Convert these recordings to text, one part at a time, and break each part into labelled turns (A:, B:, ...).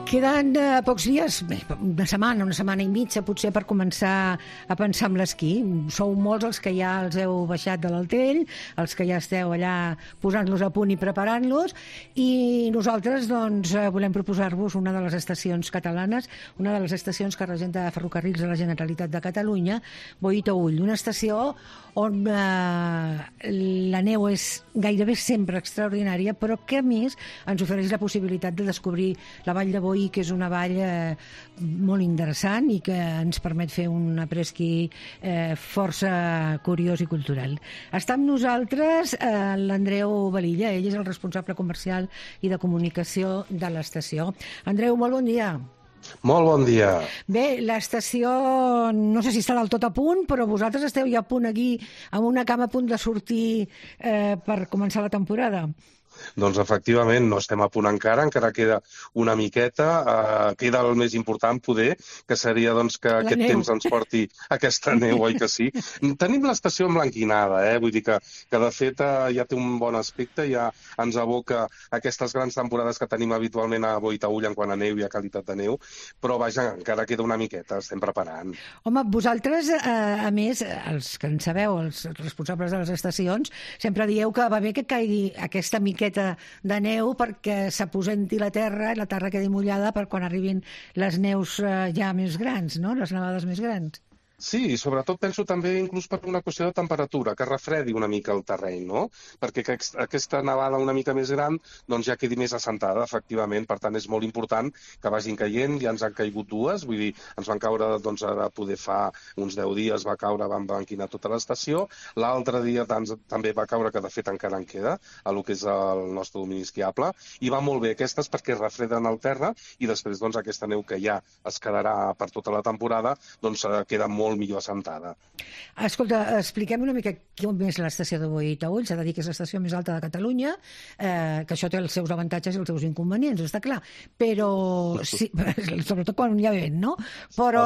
A: Queden pocs dies, bé, una setmana i mitja, potser, per començar a pensar en l'esquí. Sou molts els que ja els heu baixat de l'Altell, els que ja esteu allà posant-los a punt i preparant-los, i nosaltres doncs, volem proposar-vos una de les estacions catalanes, una de les estacions que regenta Ferrocarrils de la Generalitat de Catalunya, Boí-Taüll, una estació on la neu és gairebé sempre extraordinària, però que a més ens ofereix la possibilitat de descobrir la Vall de Boí, que és una vall molt interessant i que ens permet fer un après-ski força curiós i cultural. Està amb nosaltres l'Andreu Velilla, ell és el responsable comercial i de comunicació de l'estació. Andreu, molt bon dia.
B: Molt bon dia.
A: Bé, l'estació no sé si està del tot a punt, però vosaltres esteu ja a punt aquí, amb una cama a punt de sortir per començar la temporada.
B: Doncs efectivament no estem a punt encara queda una miqueta, queda el més important poder, que seria doncs, que aquest temps ens porti aquesta neu, oi que sí? Tenim l'estació emblanquinada, vull dir que de fet ja té un bon aspecte, ja ens aboca aquestes grans temporades que tenim habitualment a Boí-Taüll en quant a neu i a qualitat de neu, però vaja, encara queda una miqueta, estem preparant.
A: Home, vosaltres, a més, els que en sabeu, els responsables de les estacions, sempre dieu que va bé que caigui aquesta miqueta de neu perquè s'aposenti la terra i la terra quedi mullada per quan arribin les neus ja més grans, no? Les nevades més grans.
B: Sí, i sobretot penso també inclús per una qüestió de temperatura, que refredi una mica el terreny, no? Perquè aquesta nevada una mica més gran doncs ja quedi més assentada, efectivament. Per tant, és molt important que vagin caient. Ja ens han caigut dues, vull dir, ens van caure, doncs ara poder fa uns 10 dies va caure, van banquinar tota l'estació. L'altre dia també va caure, que de fet encara en queda, a lo que és el nostre domini esquiable, i va molt bé aquestes perquè refreden el terra i després doncs aquesta neu que ja es quedarà per tota la temporada doncs queda molt millor assentada.
A: Escolta, expliquem una mica com és l'estació de Boí-Taüll. S'ha de dir que és l'estació més alta de Catalunya, que això té els seus avantatges i els seus inconvenients, està clar, però sí, sobretot quan hi ha vent, no? Però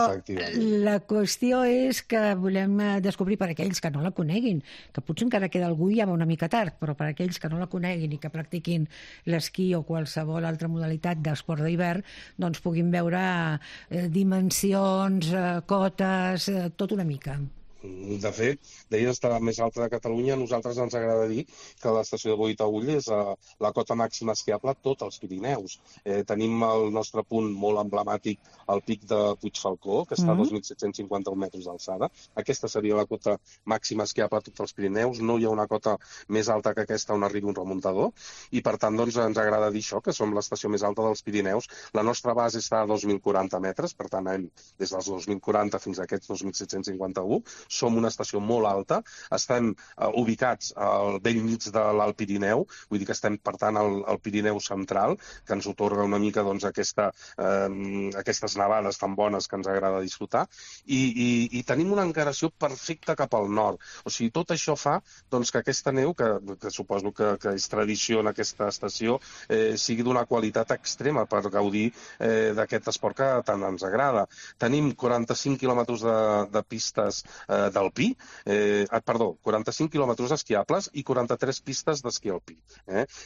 A: la qüestió és que volem descobrir per aquells que no la coneguin, que potser encara queda algú i ja va una mica tard, però per aquells que no la coneguin i que practiquin l'esquí o qualsevol altra modalitat d'esport d'hivern, doncs puguin veure dimensions, cotes, tot una mica.
B: De fet, deies que la més alta de Catalunya, a nosaltres ens agrada dir que l'estació de Boí-Taüll és la cota màxima esquiable a tots els Pirineus. Tenim el nostre punt molt emblemàtic, el pic de Puigfalcó, que està a 2.751 metres d'alçada. Aquesta seria la cota màxima esquiable a tots els Pirineus. No hi ha una cota més alta que aquesta on arribi un remuntador. I per tant, doncs, ens agrada dir això, que som l'estació més alta dels Pirineus. La nostra base està a 2.040 metres, per tant, anem des dels 2.040 fins a aquests 2.751. Som una estació molt alta, estem ubicats al bell mig de l'Alt Pirineu, vull dir que estem, per tant, al Pirineu central, que ens otorga una mica doncs, aquestes nevades tan bones que ens agrada disfrutar, i tenim una encaració perfecta cap al nord. O sigui, tot això fa doncs, que aquesta neu, que suposo que és tradició en aquesta estació, sigui d'una qualitat extrema per gaudir d'aquest esport que tant ens agrada. Tenim 45 quilòmetres de pistes d'alpí, 45 quilòmetres esquiables i 43 pistes d'esquí alpí.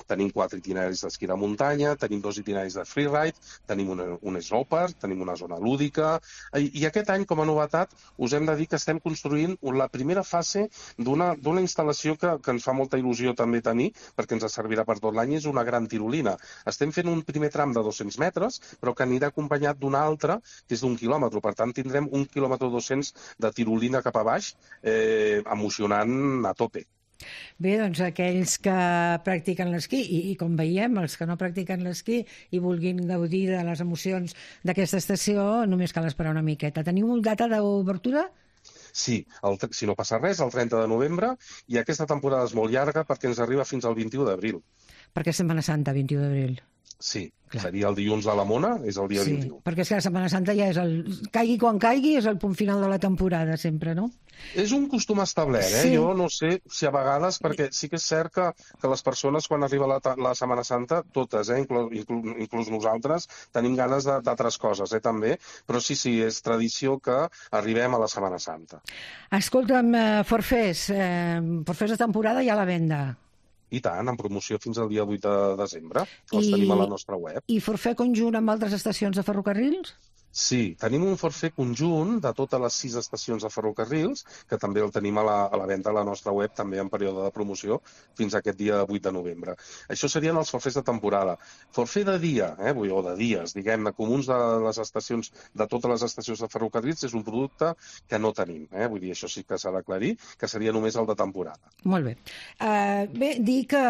B: Tenim 4 itineraris d'esquí de muntanya, tenim 2 itineraris de freeride, tenim un snowpark, tenim una zona lúdica, i aquest any, com a novetat, us hem de dir que estem construint la primera fase d'una instal·lació que ens fa molta il·lusió també tenir, perquè ens servirà per tot l'any, és una gran tirolina. Estem fent un primer tram de 200 metres, però que anirà acompanyat d'un altre, que és d'1 quilòmetre. Per tant, tindrem 1 quilòmetre 200 de tirolina cap a baix, emocionant a tope.
A: Bé, doncs aquells que practiquen l'esquí i com veiem, els que no practiquen l'esquí i vulguin gaudir de les emocions d'aquesta estació, només cal esperar una miqueta. Teniu data d'obertura?
B: Sí, si no passa res, el 30 de novembre, i aquesta temporada és molt llarga perquè ens arriba fins al 21 d'abril.
A: Perquè és Setmana Santa, 21 d'abril.
B: Sí, seria el dilluns de la Mona, és el dia 21.
A: Perquè és que la Setmana Santa ja és caigui quan caigui, és el punt final de la temporada, sempre, no?
B: És un costum establert,
A: Sí.
B: Jo no sé si a vegades, perquè sí que és cert que les persones, quan arriba la Setmana Santa, totes, inclús nosaltres, tenim ganes d'altres coses, també, però sí, és tradició que arribem a la Setmana Santa.
A: Escolta'm, Forfés de temporada ja a la venda.
B: I tant, en promoció fins al dia 8 de desembre. Els tenim a la nostra web.
A: I forfait conjunt amb altres estacions de ferrocarrils?
B: Sí, tenim un forfait conjunt de totes les 6 estacions de ferrocarrils, que també el tenim a la venda a la nostra web, també en període de promoció, fins a aquest dia 8 de novembre. Això serien els forfets de temporada. Forfait de dia, o de dies, diguem-ne, comuns de les estacions, de totes les estacions de ferrocarrils, és un producte que no tenim. Vull dir, això sí que s'ha d'aclarir, que seria només el de temporada.
A: Molt bé. Bé, dir que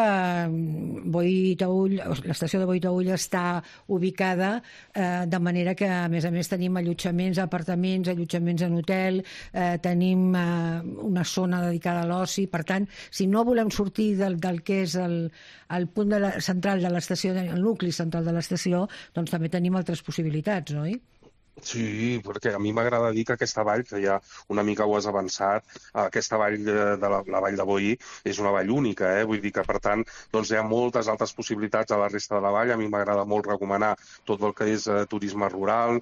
A: l'estació de Boí-Taüll està ubicada de manera que, a més tenim allotjaments, apartaments, allotjaments en hotel, tenim una zona dedicada a l'oci. Per tant, si no volem sortir del que és el punt central de l'estació, el nucli central de l'estació, doncs també tenim altres possibilitats, oi?
B: Sí, perquè a mi m'agrada dir que aquesta vall, que ja una mica ho has avançat, aquesta vall la vall de Boí és una vall única, vull dir que, per tant, doncs hi ha moltes altres possibilitats a la resta de la vall. A mi m'agrada molt recomanar tot el que és turisme rural,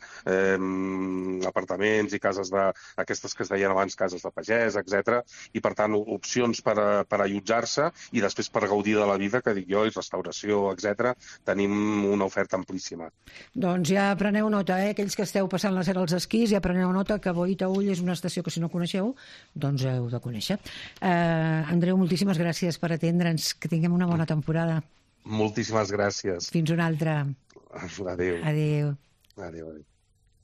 B: apartaments i cases aquestes que es deien abans, cases de pagès, etc. I, per tant, opcions per allotjar-se i després per gaudir de la vida, que dic jo, i restauració, etc. Tenim una oferta amplíssima.
A: Doncs ja preneu nota, aquells que esteu passant la Serra als esquís, ja preneu nota que Boí-Taüll és una estació que, si no coneixeu, doncs heu de conèixer. Andreu, moltíssimes gràcies per atendre'ns. Que tinguem una bona temporada.
B: Moltíssimes gràcies.
A: Fins una altra.
B: Adéu.
A: Adéu.
B: Adéu.